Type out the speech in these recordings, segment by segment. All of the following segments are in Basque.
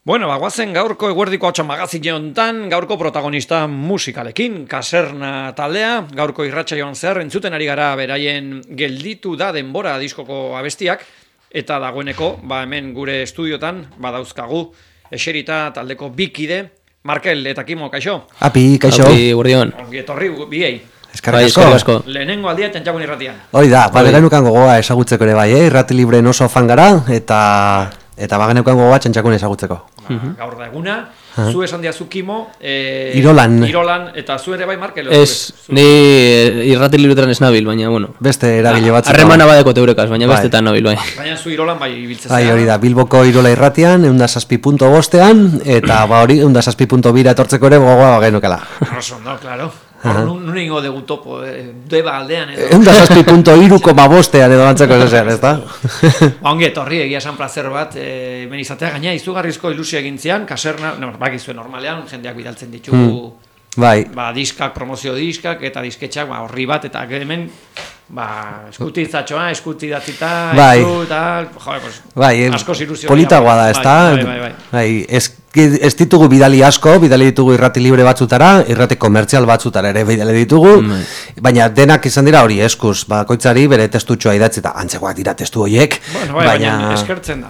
Bueno, bagoazen gaurko eguerdiko hotxa magazine hontan, gaurko protagonista musikalekin, Kaserna taldea, gaurko irratsaioan zehar entzuten ari gara beraien gelditu da denbora diskoko abestiak, eta dagoeneko, hemen gure estudiotan, badauzkagu, eserita taldeko bikide, Markel eta Kimo, kaixo? Api, kaixo. Api, guardion. Ongi etorri, biei. Eskerrik asko. Lehenengo aldia txantxakun irratian. Hoi da, bagenukan gogoa ezagutzeko ere bai, irrati libren oso fan gara, eta bagenukan gogoa txantxakun ezagutzeko. Gaur da eguna, zu esan diazu Kimo, Irolan, eta zu ere bai Markel? Ez, ni irrati libretan ez nabil, baina, bueno. Beste eragile batzuk. Harremana badeko teurekaz, baina bestetan nabil, bai. Baina zu Irolan bai ibiltzen bai, hori da, Bilboko Irola irratian, 106.5ean, eta hori 106.2 etortzeko ere gogoa bagenukala. Oso, no, claro. Nun ingo dugu topo, deba aldean edo. 106.3,5ean edo bantzeko esan, ez da? Ongi etorri, egia esan placer bat, hemen izatea, gaina izugarrizko ilusio egin zian, Kaserna, bakizue normalean, jendeak bidaltzen ditugu, diskak, promozio diskak, eta disketxak, horri bat, eta hemen, eskutitzatxoa, eskutidatzita, askoz ilusio. Politagoa da, ez da? Bai, ez ditugu bidali asko, bidali ditugu irrati libre batzutara, irrati komertzial batzutara ere bidali ditugu, baina denak izan dira hori eskuz, bakoitzari bere testutxoa idatzi eta antzegoak dira testu horiek. Baina eskertzen da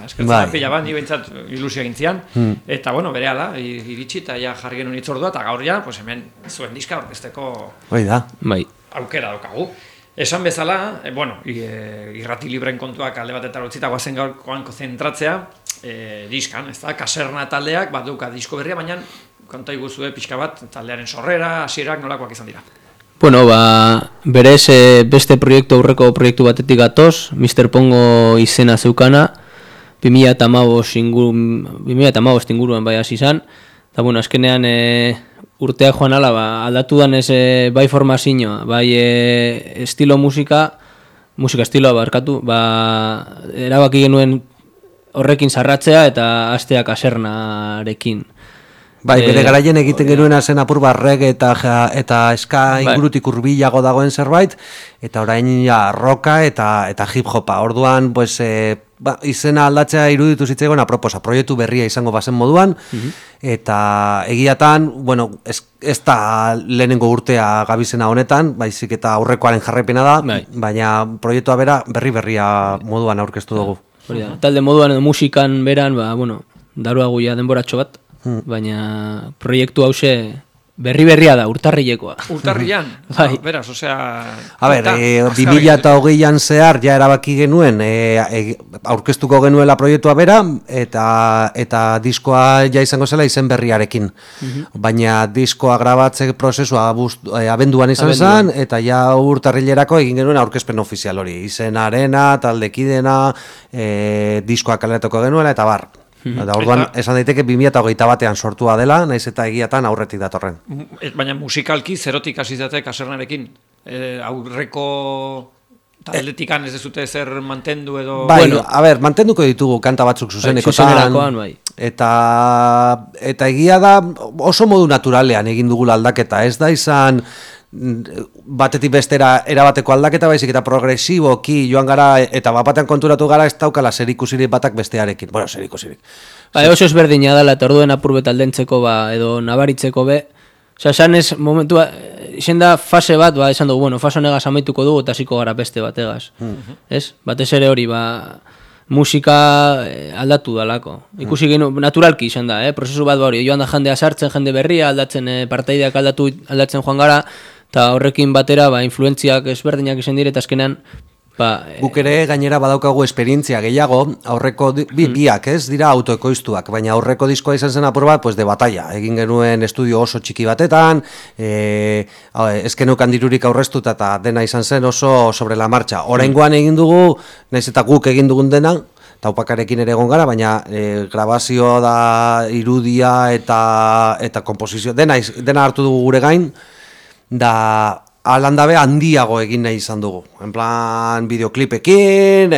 pila bat, ni behintzat ilusio egin zian, eta berehala, iritsi eta jarri genuen itzordua, eta gaur ja, hemen zuen diska orkesteko aukera daukagu. Esan bezala, irrati libren kontuak alde batetara utzita guazen gaurkoan zentratzea, diskan, ez da, Kaserna taldeak, duka disko berria, baina konta iguzue pixka bat, taldearen sorrera, hasierak nolakoak izan dira. Bueno, berez beste aurreko proiektu batetik gatoz, Mr. Pongo izena zeukana, 2015 inguruan bai hasi izan, eta azkenean urtea joan ala, aldatu danez bai formazioa, bai musika estiloa barkatu, erabaki genuen horrekin sarratzea eta hastea Kasernarekin. Bai, bere garaien egiten genuena zen apur reggae eta ska ingurutik hurbilago dagoen zerbait, eta orain rocka eta hip-hopa. Orduan, izena aldatzea iruditu zitzaigun aproposa, proiektu berria izango bazen moduan, eta egiatan, ez da lehenengo urtea gabizena honetan, baizik eta aurrekoaren jarraipena da, baina proiektua berria moduan aurkeztu dugu. Talde moduan edo musikan beran, daruagu ja denboratxo bat, baina proiektu hause berria da, urtarrilekoa. Urtarrilean? Beraz, osea... 2020an zehar ja erabaki genuen aurkeztuko genuela proiektua bera, eta diskoa ja izango zela izen berriarekin. Baina diskoa grabatze prozesua abenduan izan zen, eta ja urtarrilerako egin genuen aurkezpen ofizial hori. Izenarena, taldekidena, diskoa kaleratuko genuela, eta bar. Orduan, esan daiteke 2021an sortua dela, naiz eta egiatan aurretik datorren. Baina musikalki zerotik hasi zate Kasernarekin? Aurreko taldetikan ez dezute zer mantendu edo... Mantenduko ditugu kanta batzuk zuzenekotan, eta egia da oso modu naturalean egin dugula aldaketa, ez da izan batetik bestera erabateko aldaketa, baizik eta progresiboki joan gara, eta bapatean konturatu gara ez daukala zerikusirik batak bestearekin. Zerikusirik. Oso ezberdina dela, eta orduen apurbet aldentzeko edo nabaritzeko be. Esan ez momentua, izen da fase bat, esan dugu, fase honegaz amaituko dugu, eta hasiko gara beste bategaz. Batez ere hori, musika aldatu dalako. Ikusi genu, naturalki izan da, prozesu bat hori, joan da jendea sartzen, jende berria, aldatzen partaideak aldatzen joan gara, eta horrekin batera, influentziak ezberdinak izan dire, eta azkenean... Guk ere gainera badaukagu esperientzia gehiago, aurreko biak ez dira autoekoiztuak, baina aurreko diskoa izan zen apur bat, de batalla. Egin genuen estudio oso txiki batetan, ezkenukan dirurik aurreztuta eta dena izan zen oso sobre la marcha. Oraingoan egin dugu, naiz eta guk egin dugun dena, taupakarekin ere egon gara, baina grabazio da, irudia eta komposizio, dena hartu dugu gure gain, da alandabe handiago egin nahi izan dugu. En plan, bideoklipekin,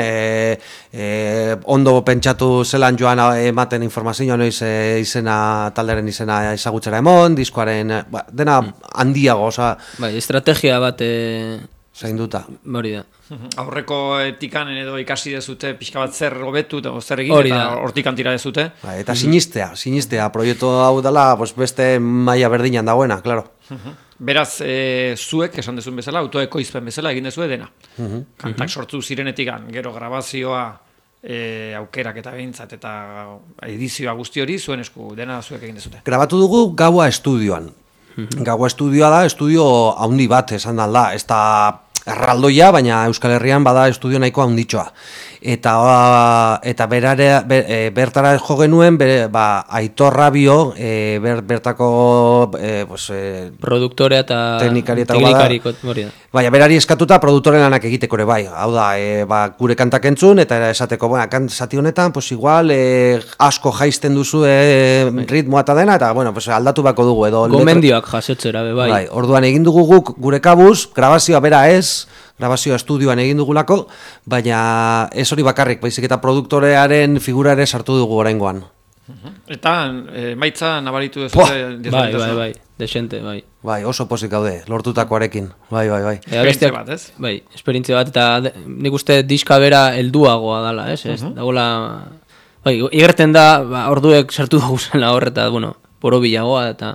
ondo pentsatu zelan joan ematen informazioa noiz talderen izena ezagutzera emon, diskoaren, dena handiago, oza... Estrategia bat zainduta. Hori da. Aurreko etikan edo ikasi dezute pixka bat zer hobetu eta zer egin eta hortikan tira dezute. Eta sinistea, proiektu hau dela beste maila berdinan dagoena, claro. Beraz, zuek, esan dezun bezala, autoekoizpen bezala egin dezue dena. Kantak sortu zirenetikan, gero grabazioa, aukerak eta behintzat eta edizioa guzti hori, zuen esku dena zuek egin dezute. Grabatu dugu Gaua estudioan. Gaua estudioa da, estudio haundi bat esan da, ez da erraldoia, baina Euskal Herrian bada estudio nahiko handitxoa. Eta bertara jo genuen, Aitor Rabio, bertako produktorea eta teknikari baina berari eskatuta produktoren lanak egiteko ere bai. Hau da, gure kantak entzun, eta esateko, zati honetan, igual, asko jaisten duzu ritmoa eta dena, eta aldatu bako dugu. Gomendioak jasotzera, bai. Orduan egin dugu guk gure kabuz, grabazioa bera ez, grabazioa estudioan egin dugulako, baina ez hori bakarrik, baizik eta produktorearen figura ere sartu dugu oraingoan. Eta maitza nabaritu dezute? Bai, desente, bai. Bai, oso pozik gaude, lortutakoarekin, bai. Esperientzia bat, ez? Bai, esperientzia bat, eta nik uste diska bera helduagoa dala, ez? Dagoela, bai, igerten da, orduek sartu dugu zela horreta, borobilagoa, eta,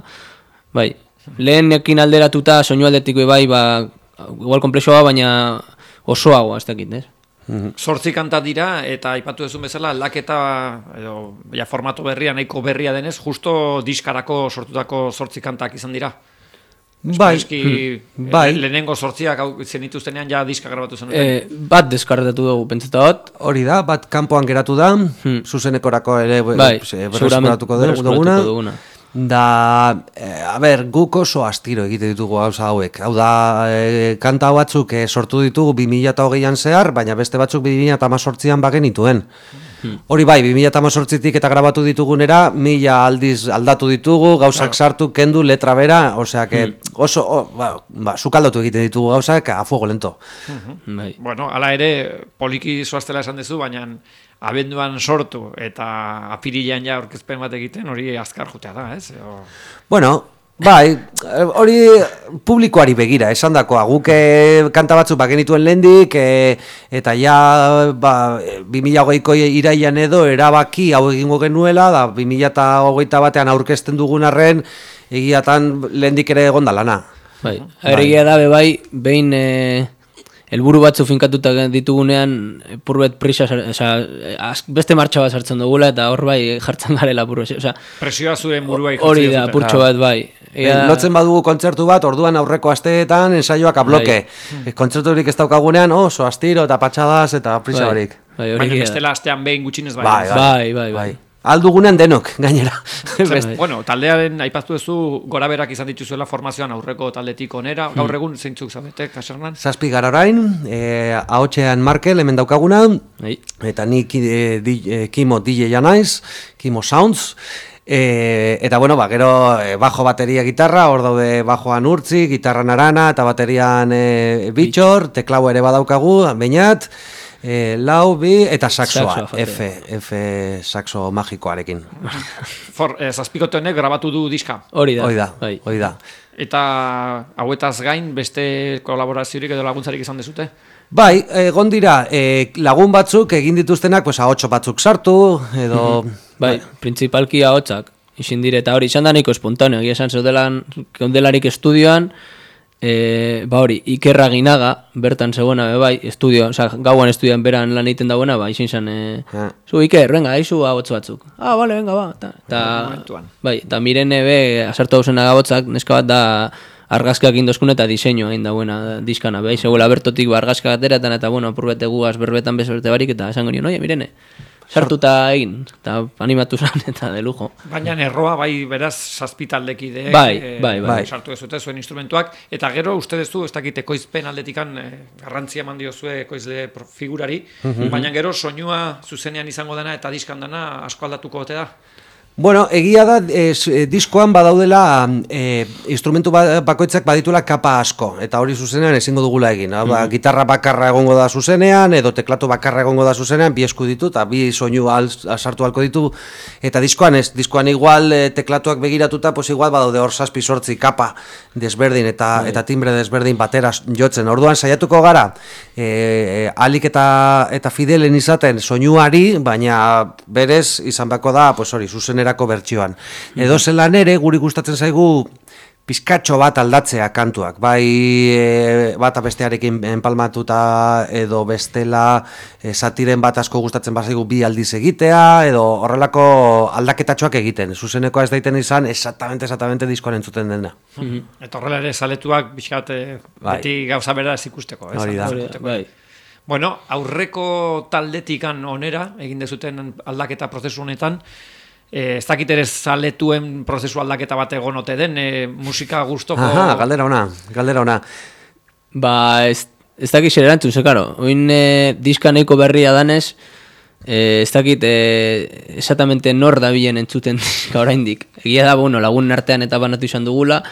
bai, lehenekin alderatuta, soinu aldetiko bai, igual komplexoa, baina osoagoa, ez dakit, ez? 8 kanta dira, eta aipatu duzun bezala, aldaketa formato berria, nahiko berria denez, justo diskarako sortutako 8 kantak izan dira. Bai. Lehenengo 8ak zenituztenean ja diska grabatu zen. Bat deskarretatu dugu, pentsatot. Hori da, bat kanpoan geratu da, zuzenekorako ere berreskuratuko duguna. Da, guk oso astiro egite ditugu gauza hauek. Hau da, kanta batzuk sortu ditugu 2008an zehar, baina beste batzuk 2018an bagenituen. Hori bai, 2018tik eta grabatu ditugunera, 1000 aldiz aldatu ditugu, gauzak sartu, kendu, letra bera, osea, oso, sukaldatu egite ditugu gauzak, a fuego lento. Bueno, ala ere, poliki zoaztela esan dezu, baina abenduan sortu eta apirilean ja aurkezpen bat egiten, hori azkar jutea da, ez? Bueno, bai, hori publikoari begira, esan dakoa, guk kanta batzuk bagenituen lehendik, eta ja 2008ko iraian edo erabaki hau egingo genuela, da 2008 batean aurkezten dugun arren, egiatan lehendik ere egon da lana. Bai, egia da, behin helburu batzu finkatuta ditugunean purbet prisa, beste martxa bat sartzen dugula eta hor bai jartzen garela purbet. Presioa zuen burua ikutzen. Hori da, purtso bat bai. Lotzen badugu kontzertu bat, orduan aurreko asteetan ensaioak abloke. Kontzerturik ez daukagunean oso astiro eta patxadaz eta prisa barik. Baina bestela astean behin gutxinez bai. Bai. Aldugunean denok, gainera. Bueno, taldearen aipaztu duzu gora berak izan dituzuela formazioan aurreko taldetik onera. Gaur egun zeintzuk zaudete, Kasernan? 7 gara orain, ahotsean Markel hemen daukaguna, eta ni Kimo DJ-a naiz, Kimo Sounds, eta gero bajo bateria gitarra, hor daude bajoan Urtzi, gitarran Arana, eta baterian Bitxor, teklau ere badaukagu, Beñat, lau, bi, eta saxoa, F saxo magikoarekin. Zazpikote honek grabatu du diska. Hori da. Eta hauetaz gain, beste kolaboraziorik edo laguntzarik izan dezute? Bai, egon dira, lagun batzuk egin dituztenak, ahotso batzuk sartu, edo... Bai, principalki ahotsak, izin dire, eta hori, izan da nahiko espontaneo, egia esan zeudelarik estudioan, hori, Ikerra Ginaga, bertan zegoena, bai, gauan estudioan beran lan egiten dagoena, izin zen, zu Iker, venga, haizu ahots batzuk. Bale, venga, bai, eta Mirene asartu dauzena gabotzak, neska bat da argazkak indozkun eta diseinua egin dagoena diskana, bai, zegoela bertotik argazkak ateratan, eta apurbete guaz berbetan bezberte barik, eta esango nion, oie, Mirene, sartuta egin, eta animatu zan, eta de lujo. Baina erroa, bai, beraz, zazpitaldekideek, bai. sartu dezute zuen instrumentuak, eta gero, uste dezu, ez dakit ekoizpen aldetikan garrantzia eman diozue ekoizle figurari, baina gero, soinua zuzenean izango dena eta diskan dena asko aldatuko ote da? Bueno, egia da, diskoan badaudela instrumentu bakoitzak badituela kapa asko, eta hori zuzenean ezingo dugula egin. Gitarra bakarra egongo da zuzenean, edo teklatu bakarra egongo da zuzenean, bi esku ditu, eta bi soinu sartu halko ditu, eta diskoan ez, diskoan igual teklatuak begiratuta, pues igual badaude hor 7-8 kapa desberdin, eta timbre desberdin batera jotzen. Orduan saiatuko gara, alik eta fidelen izaten soinuari, baina berez izan bako da, pues hori, zuzenerako bertsioan. Edo zelan ere, guri gustatzen zaigu pizkatxo bat aldatzea kantuak, bai bata bestearekin enpalmatuta edo bestela satiren bat asko gustatzen bazaigu bi aldiz egitea, edo horrelako aldaketatxoak egiten, zuzeneko ez daiten izan exactamente diskoan entzuten dena. Eta horrela ere saletuak bizkat beti gauza bera ez ikusteko. Hori da. Bueno, aurreko taldetikan onera, egin dezuten aldaketa prozesu honetan, ez dakit ere zaletuen prozesu aldaketa bat egon ote den, musika gustoko... Galdera ona. Ba, ez dakit zer erantzun, zekaro. Oin diska nahiko berria danez, ez dakit exactamente nor da bilen entzuten diska oraindik. Egia da, bueno, lagunen artean eta banatu izan dugula,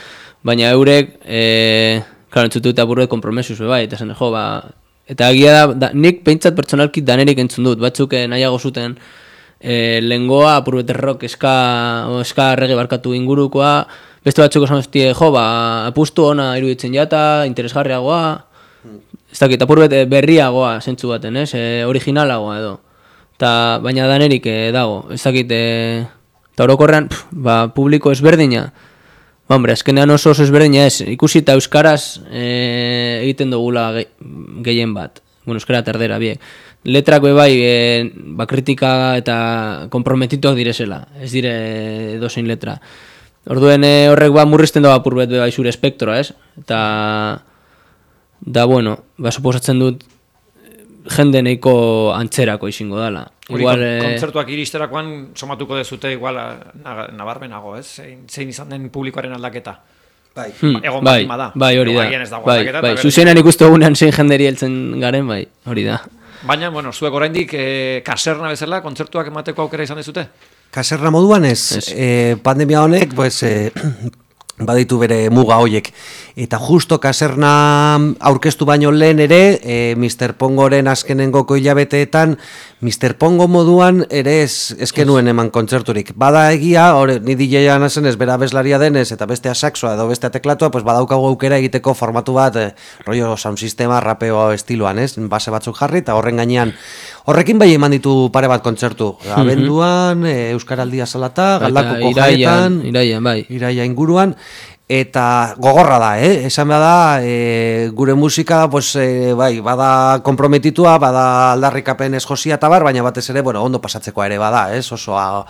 baina eurek, klaro, entzutu eta burret kompromesuz, bai, eta zen, jo, ba... Eta egia da, nik peintzat pertsonalki danerik entzun dut, batzuk nahiago zuten... lengoa, apurbete rock, eska rege barkatu ingurukoa, beste batzuk esan zuztie, jo, ba, apustu ona iruditzen jata, interesgarriagoa, ez dakit, apurbete berriagoa zentzu baten, originalagoa edo, baina danerik dago, ez dakit, eta orokorrean, ba, publiko ezberdina, ba, hombre, azkenean oso ezberdina ez, ikusi eta euskaraz egiten dugula gehien bat, bueno, euskara terdera, biek, letrak bai, kritika eta komprometituak direzela, ez dire dozein letra. Orduen horrek murrizten da apurbet bai zure espektroa, ez? Da bueno, suposatzen dut jende nahiko antzerako izango dela. Igual kontzertuak iristerakoan somatuko dezute igual nabarmenago, ez? Zein izan den publikoaren aldaketa. Egon bada. Bai, hori da. Bai, zuzenan ikustu egunean zein jenderi heltzen garen, bai, hori da. Baina, bueno, zuek oraindik kaserna bezala kontzertuak emateko aukera izan dezute? Kaserna moduan ez. Pandemia honek, pues, baditu bere muga hoiek. Eta justo kaserna aurkeztu baino lehen ere, Mr. Pongoren azkenengoko hilabeteetan, Mr. Pongo moduan ere ezkenuen eman kontzerturik. Bada egia, ni DJ-a nazen ez, bera abeslaria denez, eta bestea saxoa edo bestea teklatua, pues badaukagu aukera egiteko formatu bat, rollo sound sistema, rapeo estiloan, ez? Base batzuk jarri, eta horren gainean, horrekin bai eman ditu pare bat kontzertu. Abenduan, Euskaraldia Salata, Galdakoko Jaetan, Iraia inguruan, eta gogorra da, esan da, gure musika, pues, bai, bada komprometitua, bada aldarrikapen ez josia eta bar, baina batez ere, bueno, ondo pasatzeko ere bada, osoa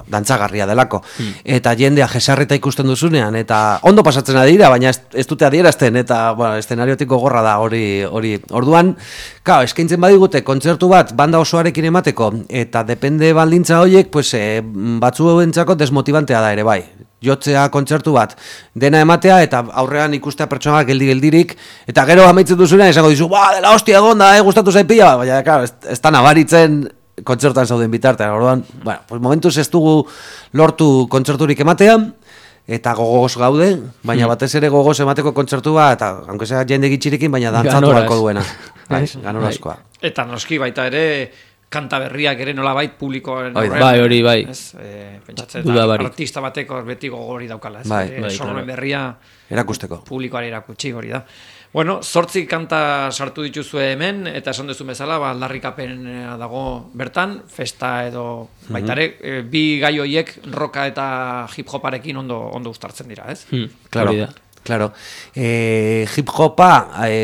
dantzagarria delako. Eta jendea jesarrita ikusten duzunean, eta ondo pasatzen adira, baina ez dute adierazten, eta, bueno, eszenariotik gogorra da hori. Orduan, eskaintzen badigute kontzertu bat banda osoarekin emateko, eta depende baldintza horiek, pues, batzuentzako desmotibantea da ere, bai. Jotzea kontzertu bat, dena ematea, eta aurrean ikustea pertsona geldirik, eta gero amaitzen duzunean esango dizu, dela hostia egonda, gustatu zaipila, baina, claro, ez da nabaritzen kontzertuan zauden bitartean. Orduan, bueno, pues momentuz ez dugu lortu kontzerturik ematea, eta gogoz gaude, baina batez ere gogoz emateko kontzertua, eta, aunque sea jende gitxirekin, baina dantzatu balko duena. Ganorazkoa. Eta noski baita ere, kanta berriak ere nolabait publikoaren bai, hori, bai. Pentsatzen artista bateko beti gogori daukala, sormen berria erakusteko. Publikoari erakutsi hori da. Bueno, 8 kanta sartu dituzue hemen, eta esan duzu bezala, aldarrikapen dago bertan, festa edo baitare, bi gai horiek roka eta hip-hoparekin ondo uztartzen dira, ez? Claro, hip-hopa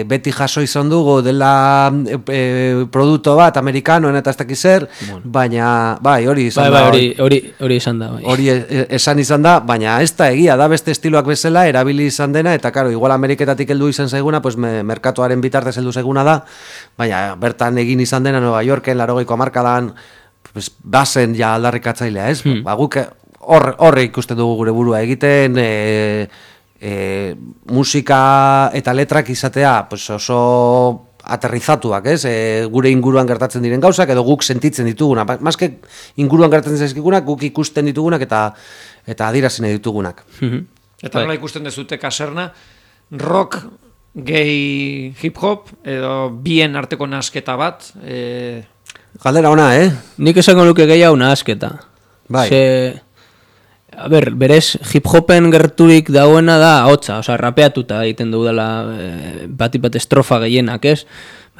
beti jaso izan dugu dela produktu bat amerikanoen eta ez dakiz zer, baina hori izan da. Hori izan da. Hori esan izan da, baina ez da egia da beste estiloak bezala erabili izan dena, eta karo, igual Ameriketatik heldu izan zaiguna, pues merkatuaren bitartez heldu zaiguna da, baina bertan egin izan dena Nueva Yorken, 80ko hamarkadan, pues bazen ja aldarrikatzailea, ez? Guk horre ikusten dugu gure burua egiten, musika eta letrak izatea pues oso aterrizatuak, ez? Gure inguruan gertatzen diren gauzak, edo guk sentitzen ditugunak. Maske inguruan gertatzen zaizkigunak, guk ikusten ditugunak eta adierazten ditugunak. Eta nola ikusten dezute Kaserna, rock, gay, hip-hop, edo bien arteko nasketa bat? Galdera ona, Nik esango nuke gehiago nasketa. Bai. A ber, berez hip-hopen gerturik dagoena da ahotsa, osea, rapeatuta egiten dugu dela bat estrofa gehienak, ez?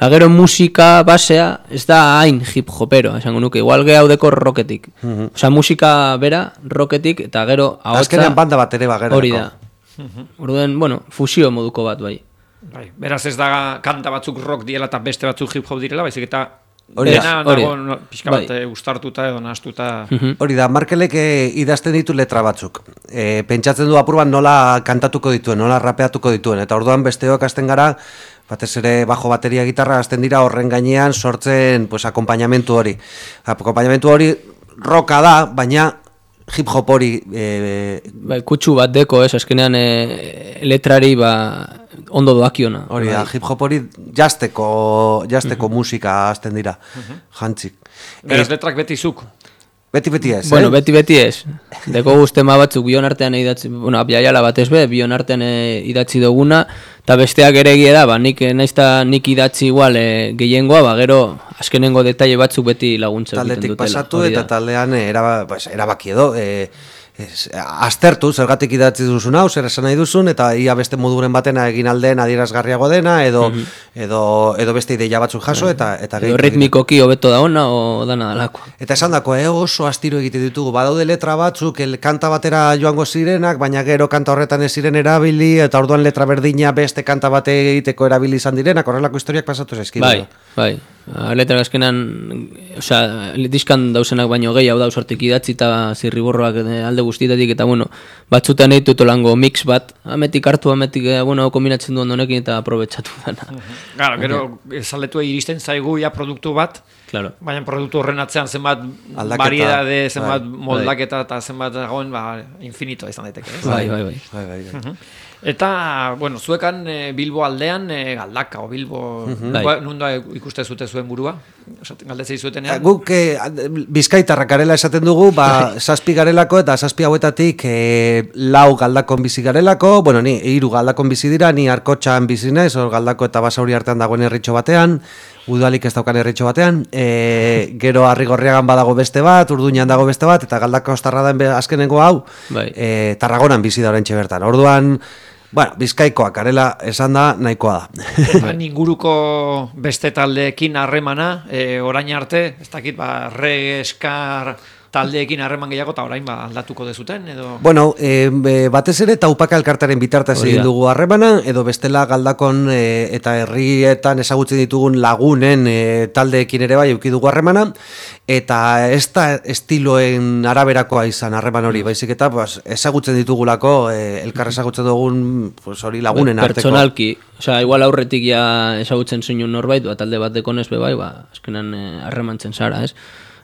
Gero musika basea ez da hain hip-hopero, esango nuke, igual gehaudeko rocketik. Osea, musika bera, rocketik, eta gero ahotsa... Azkenean banda bat ere bagerako. Hori da. Orduen, bueno, fusio moduko bat, bai. Beraz ez da kanta batzuk rock diela eta beste batzuk hip-hop direla, baizik eta... Dena nago pixka bat ustartuta edo nahastuta. Hori da, Markelek idazten ditu letra batzuk. Pentsatzen du apurban nola kantatuko dituen, nola rapeatuko dituen. Eta orduan besteok hasten gara, batez ere bajo bateria gitarra hasten dira horren gainean sortzen akompainamentu hori. Akompainamentu hori rocka da, baina hip-hop hori... Kutsu bat deko, azkenean letrari ondo doakiona. Hori da, hip-hop hori jazteko musika hasten dira, jantzik. Beraz letrak beti zuk? Beti ez, Bueno, beti ez. Deko guztema batzuk bion artean idatzi, bueno, abiaiala batez bion artean idatzi duguna, eta besteak ere egia da, nik idatzi igual gehiengoa, gero azkenengo detaile batzuk beti laguntza egiten dutela. Taldetik pasatu eta taldean erabaki edo, aztertu, zergatik idatzi duzun hau, zer esan nahi duzun, eta ia beste moduren batena egin aldeen adierazgarriago dena, edo beste ideia batzuk jaso, eta edo ritmikoki hobeto da ona, o dana dalako. Eta esan dako, oso astiro egite ditugu, badaude letra batzuk, kanta batera joango zirenak, baina gero kanta horretan ez ziren erabili, eta orduan letra berdina beste kanta bate egiteko erabili izan direnak, horrelako historiak pasatu zaizkidu. Bai. Letra azkenan, diskan dauzenak baino gehiago dauz hortik idatzi eta zirriborroak alde guztietatik, eta bueno, batzutan egin tolango mix bat, ametik hartu, kombinatzen duen honekin eta aprobetsatu dana. Gero, zaletu iristen zaigu produktu bat, baina produktu horren atzean zenbat variedade, zenbat moldaketa eta zenbat dagoen, infinito izan daiteke. Bai. Eta, bueno, zuekan Bilbo aldean Galdaka, o Bilbo, nunda ikuste zute zuen burua? Galdetzei zuetenean? Guk Bizkaitarrak garela esaten dugu, 7 garelako eta 7 hauetatik 4 Galdakon bizi garelako, bueno, ni 3 Galdakon bizi dira, ni Arkotxan bizi naiz, Galdako eta Basauri artean dagoen herritxo batean, Udalik ez daukan herritxo batean, gero Arrigorriagan badago beste bat, Urduñan dago beste bat, eta Galdako ostarra da azkenengo hau, Tarragonan bizi da oraintxe bertan. Orduan, bueno, Bizkaikoak garela esan da nahikoa da. Inguruko beste taldeekin harremana, orain arte, ez dakit, reggae, eskar taldeekin harreman gehiago, eta orain aldatuko dezuten, edo... Bueno, batez ere Taupaka elkartaren bitartez egin dugu harremana, edo bestela Galdakon eta herrietan ezagutzen ditugun lagunen taldeekin ere bai eduki dugu harremana, eta ez da estiloen araberakoa izan harreman hori, baizik eta ezagutzen ditugulako, elkar ezagutzen dugun hori lagunen arteko. Pertsonalki, igual aurretik ja ezagutzen zinun norbait, talde bat dekonez bai, azkenan harremantzen zara, ez?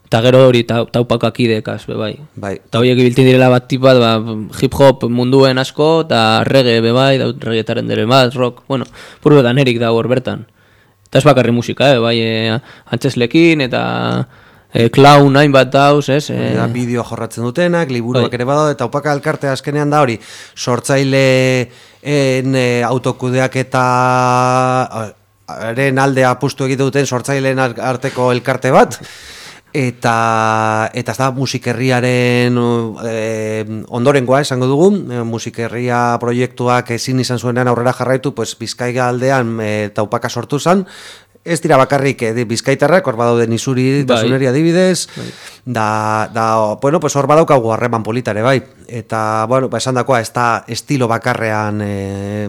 Eta gero hori Taupakak idekaz, bai. Eta horiek ibiltzen direla bat tipat, hip-hop munduen asko, eta reggae, bai, reggaetaren dere bat, rock, bueno, purbe danerik dago hor bertan. Eta ez bakarri musika, bai, antzeslekin, eta clown hainbat dauz, ez? Bideo jorratzen dutenak, liburuak ere badao, eta Taupaka elkartea azkenean da hori, sortzaileen autokudeak eta haren alde apustu egite duten sortzaileen arteko elkarte bat, eta ez da musikerriaren ondorengoa esango dugu, musikerria proiektuak ezin izan zuenean aurrera jarraitu, Bizkaia aldean Taupaka sortu zen, ez dira bakarrik Bizkaitarrak, hor badauden Izuri, Tasuneri adibidez, hor badaukagu harreman politare, bai, eta, esan dakoa, ez da estilo bakarrean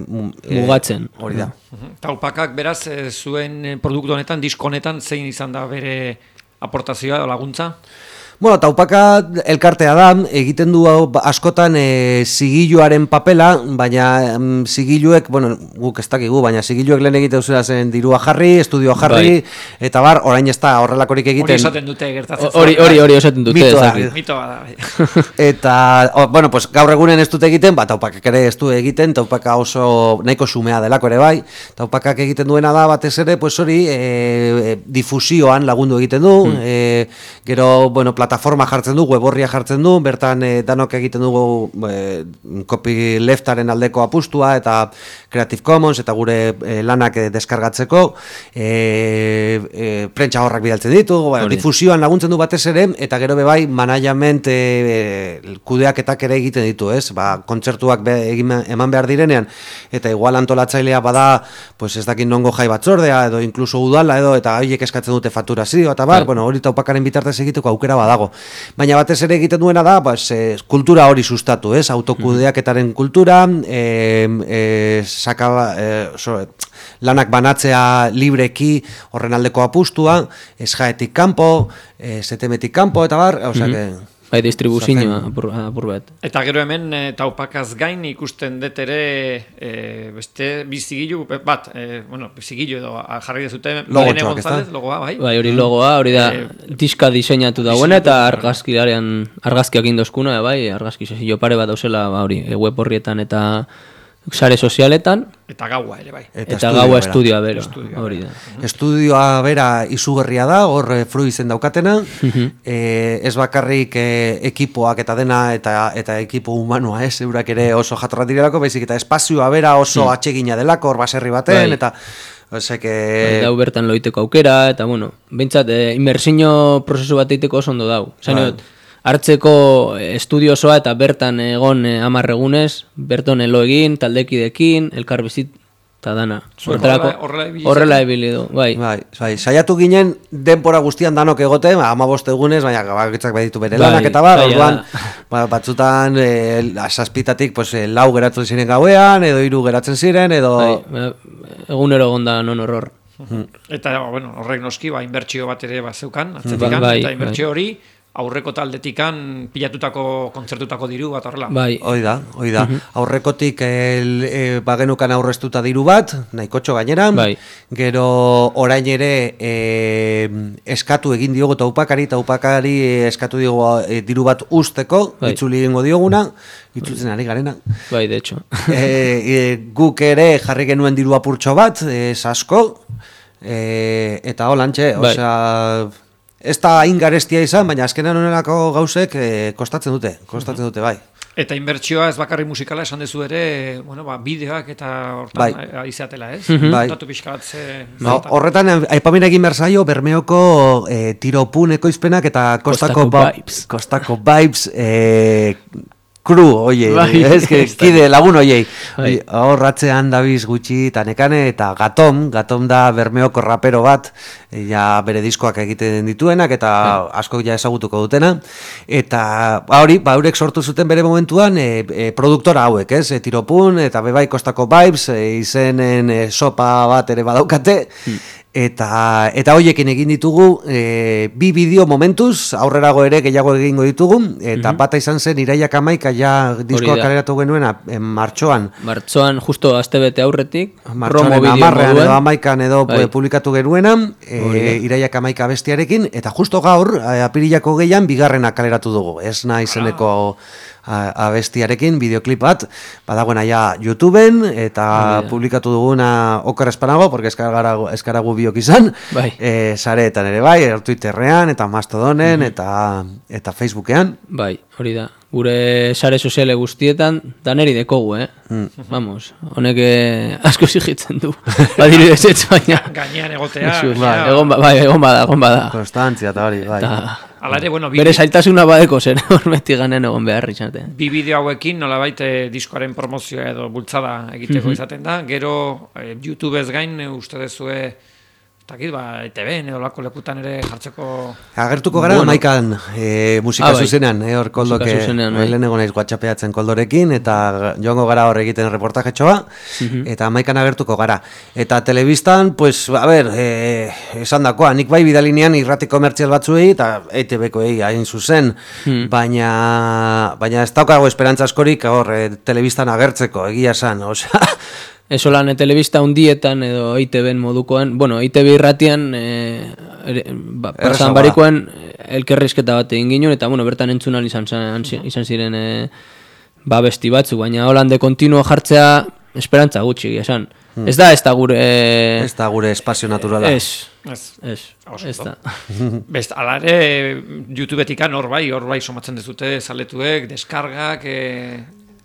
mugatzen. Hori da. Taupakak, beraz, zuen produktu honetan, disko honetan, zein izan da bere aportazioa o laguntza? Bueno, Taupaka elkartea da, egiten du askotan zigiluaren papela, baina zigiluek, bueno, guk ez dakigu, baina zigiluek lehen egiten zuen zen dirua jarri, estudioa jarri, eta bar, orain ez da horrelakorik egiten. Hori esaten dute gertatzen. Hori esaten dute. Mitoa da. Eta, bueno, pues gaur egunen ez dute egiten, Taupakak ere ez du egiten, Taupaka oso nahiko xumea delako ere bai, Taupakak egiten duena da batez ere, pues hori, difusioan lagundu egiten du, gero, bueno, plataforma jartzen du, weborria jartzen du, bertan danok egiten dugu copyleftaren aldeko apustua eta Creative Commons eta gure lanak deskargatzeko, prentsa horrak bidaltzen ditu, difusioan laguntzen du batez ere, eta gero bebai management kudeaketak ere egiten ditu, ez? Kontzertuak eman behar direnean, eta igual antolatzailea bada, pues ez dakin nongo jai batzordea, edo inkluso udala, edo, eta horiek eskatzen dute fakturazio, eta bar, bueno, hori Taupakaren bitartez egiteko aukera badago. Baina batez ere egiten duena da, kultura hori sustatu, ez? Autokudeaketaren kultura, lanak banatzea libreki horren aldeko apustua, esjaetik kanpo, setemetik kanpo, eta bar, Bai, distribuzioa apur bat. Eta gero hemen Taupakaz gain ikusten dut ere beste bizigilu bat, bizigilu edo jarri dezute Lorene González, logoa, bai? Bai, hori logoa, hori da diska diseinatu dagoena eta argazkiak indozkuna, bai, argazki sesio pare bat dauzela, hori, web horrietan eta sare sozialetan. Eta gaua ere, bai. Eta gaua estudioa bera, hori da. Estudioa bera izugarria da, hor fruizen daukatena, ez bakarrik ekipoak eta dena, eta ekipo humanoa, eurak ere oso jatorra direlako, baizik eta espazioa bera oso atsegina delako, hor baserri baten, eta... Dau bertan loiteko aukera, eta bueno, bintzat, inmersiño prozesu bat eiteko oso ondo dau. Hartzeko estudio osoa eta bertan egon 10 egunez, berton elo egin, taldekidekin, elkarbizit eta dana. Horrela ebili du, bai. Saiatu ginen denbora guztian danok egote, 15 egunez, baina gabakitzak baditu bere lanak eta bar, orduan batzutan saspitatik 4 geratzen ziren gauean, edo 3 geratzen ziren, edo... Egunero gonda non horror. Eta, bueno, horrek noski, inbertsio bat ere zeukan, atzetikan, eta inbertsio hori, aurreko taldetikan pilatutako kontzertutako diru bat horrela. Hoi da. Aurrekotik bagenukan aurreztuta diru bat, nahikotxo gainera. Gero orain ere eskatu egin diogu Taupakari eskatu diogu diru bat usteko, itzuli egingo dioguna, itzultzen ari garena. Bai, de hecho. Guk ere jarri genuen diru apurtxo bat, asko, eta holantxe, osea... Ez da ingarestia izan, baina azkenan honelako gauzek kostatzen dute, bai. Eta inbertsioa ez bakarri musikala esan dezu ere, bideoak eta hortan izaatela, ez? Datu pixka bat horretan, aipamen egin berzaio, Bermeoko tiropun ekoizpenak eta Kostako Vibes kru, oie, kide lagun oiei. Horratzean dabiz gutxi eta nekane, eta Gatom da Bermeoko rapero bat, bere diskoak egiten dituenak, eta asko ezagutuko dutena. Eta hori, eurek sortu zuten bere momentuan produktora hauek, ez? Tiropun, eta bebai Kostako Vibes, izenen sopa bat ere badaukate, eta hoiekin egin ditugu 2 bideo momentuz, aurrerago ere gehiago egingo ditugu, eta bata izan zen Iraiak 11 diskoa kaleratu genuena martxoan. Martxoan justo astebete aurretik, promo bideo moduan. Edo 11 edo publikatu genuena, Iraiak 11 bestiarekin, eta justo gaur, apirilako 2 bigarrena kaleratu dugu, ez nahi zeneko abestiarekin, bideoklip bat, badagoen aia YouTubeen, eta publikatu duguna okar espanago, porque eskaragu biok izan, sareetan ere bai, Twitterrean, eta Mastodonen, eta Facebookean. Bai, hori da. Gure sare soziale guztietan, daneri dekogu, Vamos, honek asko zigitzen du. Badiru desetz, baina... Gainean egotea. Egon bada. Konstantzia, eta hori, bai. Bere zailtasuna badeko zen, hormetik ganen egon behar izaten. 2 bideo hauekin, nolabait diskoaren promozioa edo bultzada egiteko izaten da. Gero, YouTubez gain, uste dezue takit, ETV-en edo lako lekutan ere jartzeko... Agertuko gara, Maikan musika zuzenean, hor Koldok lehenego naiz WhatsAppeatzen Koldorekin, eta joango gara hor egiten reportajetxoa, eta Maikan agertuko gara. Eta telebistan, pues, a ber, esan dakoa, nik bai bidalinean irrati komertzial batzuei, eta ETV-koei hain zuzen, baina ez daukago esperantza askorik hor telebistan agertzeko, egia esan, osea... Eso lan telebista hundietan edo EITB-en modukoan, bueno, EITB irratian pasan barikoan elkerrizketa bat egin ginen, eta bueno, bertan entzunan izan ziren besti batzuk, baina holande kontinuo jartzea esperantza gutxi, esan. Ez da gure... Ez da gure espazio naturala. Ez da. Best, ala ere, YouTube-etikan hor bai somatzen dezute, zaletuek, deskargak...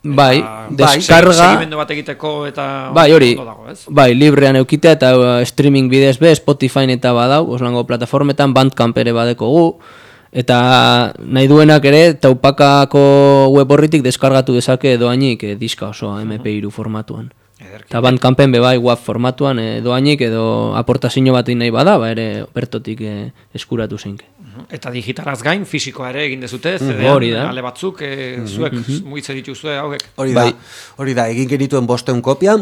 Bai, deskarga... Segimendu bat egiteko eta... Bai, hori, bai, librean eukitea eta streaming bidez be, Spotify eta badau, oslango plataformetan, Bandcamp ere badeko gu, eta nahi duenak ere, taupakako web horritik deskargatu dezake doainik diska osoa MP3 formatuan. Eta Bandcampen be bai, WAV formatuan doainik edo aportazio bat nahi bada, ere bertotik eskuratu zeinke. Eta digitalaz gain, fisikoa ere egin dezute, CD-an, ale batzuk, zuek muitze dituzue hauek. Hori da, egin genituen 500 kopia,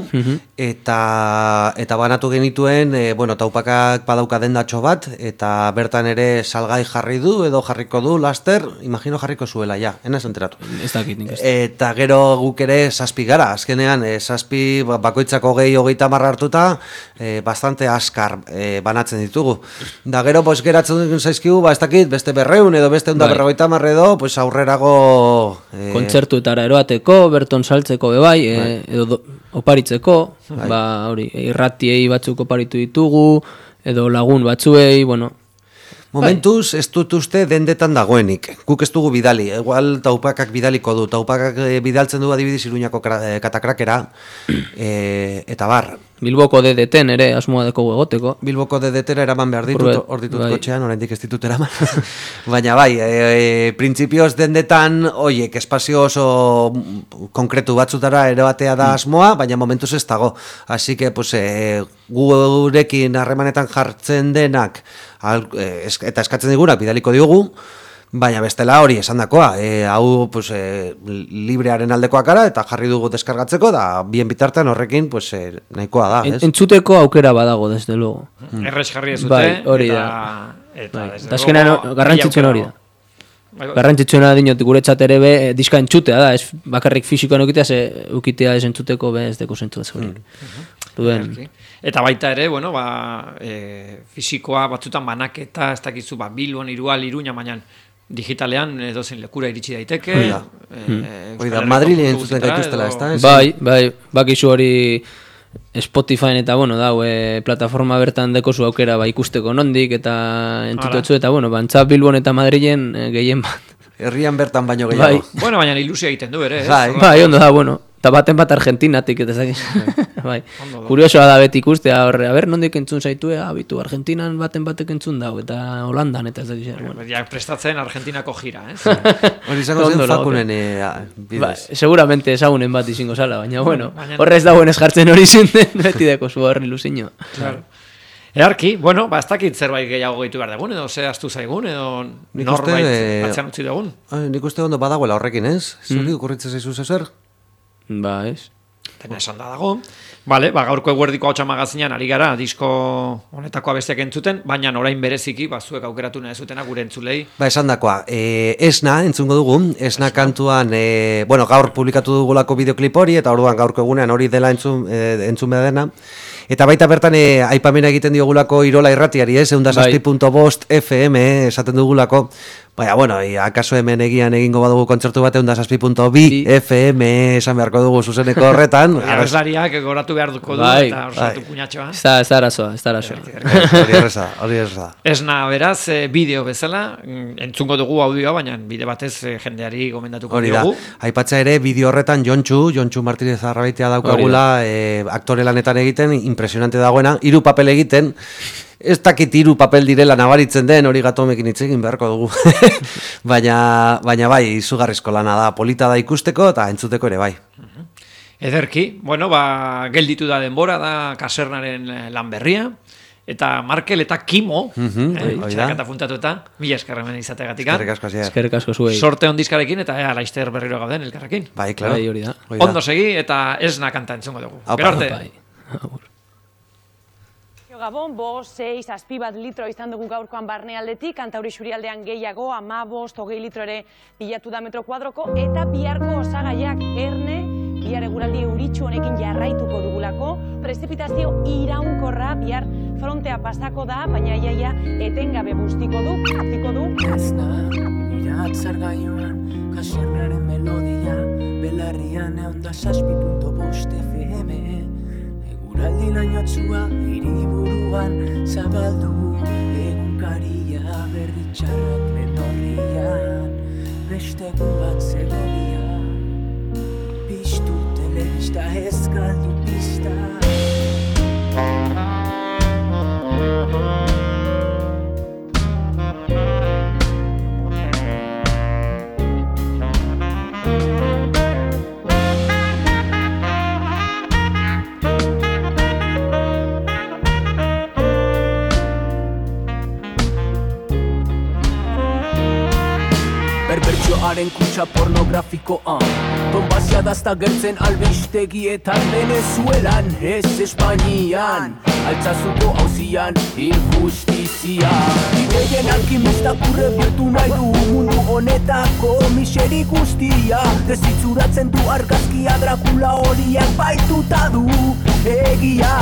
eta banatu genituen, taupakak badauka dendatxo bat, eta bertan ere salgai jarri du, edo jarriko du, laster, imagino jarriko zuela, ja, enaz enteratu. Ez dakit nik ez. Eta gero guk ere 7 gara, azkenean, 7 bakoitzako 20-30 hartuta, bastante askar banatzen ditugu. Da gero, geratzen zaizkigu, beste 200 edo beste 150 edo, pues aurrerago... Kontzertuetara eroateko, berton saltzeko bebai, edo oparitzeko, hori, irratiei batzuk oparitu ditugu, edo lagun batzuei, bueno... Momentuz, ez dut uste dendetan dagoenik. Guk ez dugu bidali. Igual taupakak bidaliko du. Taupakak bidaltzen du adibidez Iruñako katakrakera. Eta bar. Bilboko DDT-en ere asmoa deko egoteko. Bilboko DDT-era eraman behar ditut, hor ditut kotxean, oraindik ez ditut eraman. Baina bai, printzipioz dendetan, oiek, espazio oso konkretu batzutara eroatea da asmoa, baina momentuz ez dago. Así que, pues, gurekin harremanetan jartzen denak, eta eskatzen digunak bidaliko diogu, baina bestela hori esandakoa, hau pues, librearen aldekoak gara eta jarri dugu deskargatzeko, da bien bitartean horrekin pues, nahikoa da. Entzuteko aukera badago, desde luego. Errez jarri ez dute. Bai, hori da. Eta azkenean garrantzitsuen hori da. Garrantzitsuena dinot guretzat ere be, diska entzutea da, ez bakarrik fisikoan ukitea ez entzuteko be ez deko zentzu dezorik. Eta baita ere, fisikoa batzutan banaketa, ez dakizu, Bilbon, Irual, Iruña, baina digitalean edozein lekura iritsi daiteke. Oida, Madrile entzuten gaituztela, ez da? Bai, bakizu hori Spotify eta, plataforma bertan dekozu aukera ikusteko nondik eta entzutetzu eta, bantzap Bilbon eta Madrilen gehien bat. Herrian bertan baino gehiago. Baina ilusia egiten du ere, ez? Bai, ondo da, eta baten bat Argentinatik, eta zakiz. Kuriosoa da beti ikustea, nondik entzun zaitue, bitu Argentinan batek entzun dau, eta Holandan, eta ez dakiz. Prestatzen Argentinako gira, ez? Hori izango zen Fakunen bidez. Seguramente ezagunen bat izango zala, baina, horrez dagoen ez jartzen hori zinten, beti deko zu horri ilusio. Earki, ez dakit zerbait gehiago gehitu behar dugun, edo ze astu zaigun, edo norbait atzean utzi dugun. Nik uste ondo badagoela horrekin, ez? Zuri okurritzen zaizu zezer? Ba, ez. Tena esan da dago. Gaurko eguerdiko hau txamagazinean ari gara, disko honetako abestiak entzuten, baina orain bereziki, zuek aukeratu nahi zutena gure entzulei. Esan dakoa, Esna entzungo dugu, Esna kantuan, gaur publikatu dugulako bideoklip hori, eta orduan gaurko egunean hori dela entzun behar dena. Eta baita bertan aipamena egiten diogulako Irola irratiari, 106.5 FM esaten dugulako. Akaso hemen egingo badugu kontzertu bat 106.2 FM esan beharko dugu zuzeneko horretan. Abeslariak goratu behar duko du eta orsatu puñatxoa. Ez da arazoa. Hori erraza. Esna beraz, bideo bezala, entzungo dugu audioa, baina bide batez jendeari gomendatuko diogu. Aipatza ere, bideo horretan Jontxu Martínez Arrabaitea daukagula, aktore lanetan egiten, impresionante dagoena, 3 papel egiten, ez dakit 3 papel direla nabaritzen den, hori Gatomekin hitz egin beharko dugu. baina bai, izugarrizko lana da, polita da ikusteko eta entzuteko ere bai. Ederki, gelditu da denbora, da kasernaren lan berria, eta Markel eta Kimo, txerakata puntatu eta, mila eskerremen izategatik. Eskerrik asko zuei. Sorte on diskarekin, eta laizter berriro gauden elkarrekin. Bai, klaro. Bai, hori da. Ondo segi, eta esna kanta entzungo dugu. Gero arte. Gabon, 5-6 azpi bat litro izan dugu gaurkoan barnealdetik, Kantauri Xurialdean gehiago, 15-20 litro ere bilatu da metro kuadroko, eta biharko osagaiak erne, bihar eguraldi euritsu honekin jarraituko dugulako, prezipitazio iraunkorra bihar frontea pasako da, baina iaia etengabe bustiko du. Ez da, iratzar gaioan, kasernaren melodia, belarrian eonda 6.5 FM. Eguraldi lainotzua hiriburuan zabaldu, egunkaria berritxarrak lenorrian, beste egun bat zegoia, piztu telebista ez galdu pista. Berbertxoaren kutsa pornografikoa Donbasia dazta gertzen albistegietan Venezuelan, ez Espainian Altzazuko hauzian injustizia Ideien alkimista kurre bihurtu nahi du Mundu honetako miseri guztia Dezitzuratzen du argazkia Dracula horiak baituta du egia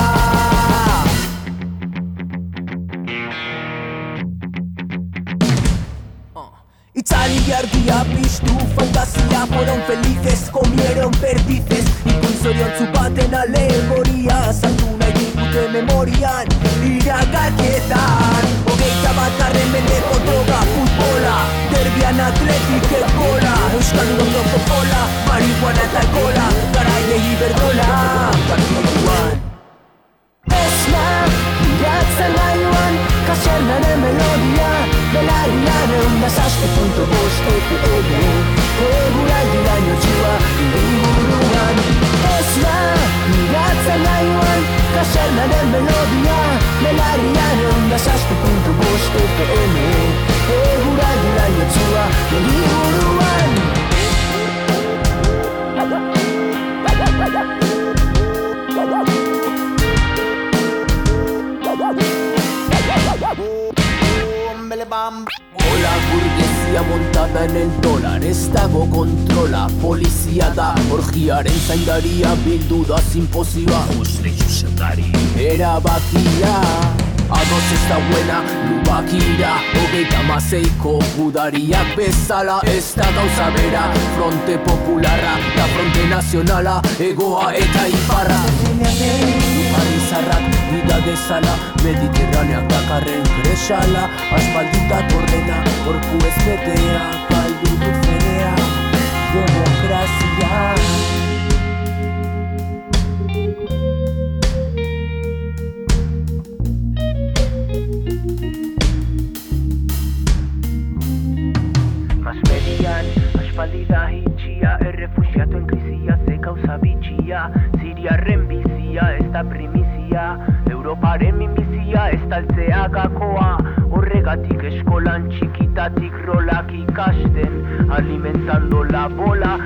Itzali argia piztu fantasia Fueron felices, comieron perdices Ikuinzoriontzu baten alegoria Saltu nahi digute memorian Iragarkietan 21. mendeko droga futbola Derbian atletik egola Euskal Udondoko fola Marihuana eta alkola Garaiei iberdola Partiduan Esna, iratzen gaioan Kasernaren melodia Belarrian eunda 6.5 FM Eguraldi lainotsua hiriburuan Esna, iratzen gaioan Kasernaren melodia Belarrian eunda 6.5 FM Eguraldi lainotsua hiriburuan Hola burguesia montada en el dólar Ez dago kontrola, polizia da Orgiaren zaindaria bildu da simpozioa Usle Josepari erabakia Ados ez da buena, lubakira 36ko gudariak bezala Ez da gauza bera, fronte popularra Da fronte nazionala, egoa eta iparra Parizarrak bida dezala Mediterraneak dakarren kresala Aspaldita korrena, orku ez betea Galdu du fedea, demokrazia Masmedian, aspaldida hitxia Errefuxiatuen krizia, ze kauza bitxia Siriarren bizia, ez da primizia Europaren minbizia, ez taltzea gakoa Horregatik eskolan txikitatik rolak ikasten Alimentando la bola,